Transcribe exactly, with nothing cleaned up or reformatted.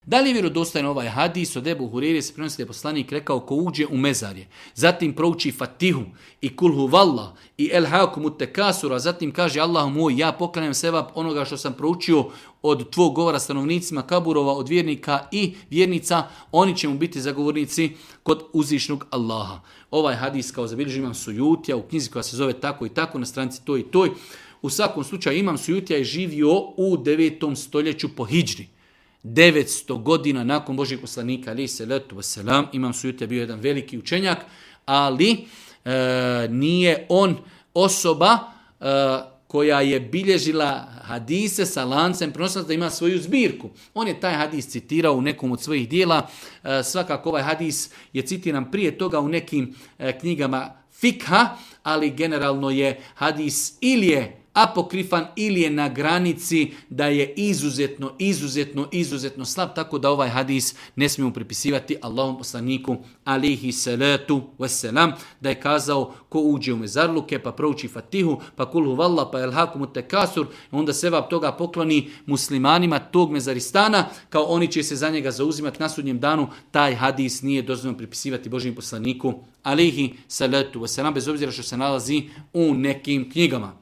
Da li je vjerodostojan ovaj hadis od Ebu Hureyre se prenosi da je poslanik rekao ko uđe u mezarje, zatim prouči Fatihu i Kul huvallah i El hakumu tekasura, zatim kaže Allahu moj, ja poklanjam sevap onoga što sam proučio od tvog govora stanovnicima kaburova, od vjernika i vjernica, oni će mu biti zagovornici kod uzvišnog Allaha. Ovaj hadis kao zabilježi imam Sujutija u knjizi koja se zove tako i tako na stranici toj i toj. U svakom slučaju imam Sujutija je živio u devetom stoljeću po hidžri. devetsto godina nakon Božjeg poslanika, alejhi salatu vesselam, imam Sujutija bio jedan veliki učenjak, ali e, nije on osoba e, koja je bilježila hadise sa lancem prenoslaca da ima svoju zbirku. On je taj hadis citirao u nekom od svojih dijela. E, svakako ovaj hadis je citiran prije toga u nekim e, knjigama fikha, ali generalno je hadis ili je apokrifan ili je na granici da je izuzetno, izuzetno, izuzetno slab, tako da ovaj hadis ne smijemo pripisivati Allahom poslaniku alejhi salatu vesselam, da je kazao ko uđe u mezarluke pa prouči Fatihu, pa kul huvallah, pa el hakumu tekasur, onda sevap toga pokloni muslimanima tog mezaristana, kao oni će se za njega zauzimati na sudnjem danu. Taj hadis nije dozvoljeno pripisivati Božjem poslaniku alejhi salatu vesselam, bez obzira što se nalazi u nekim knjigama.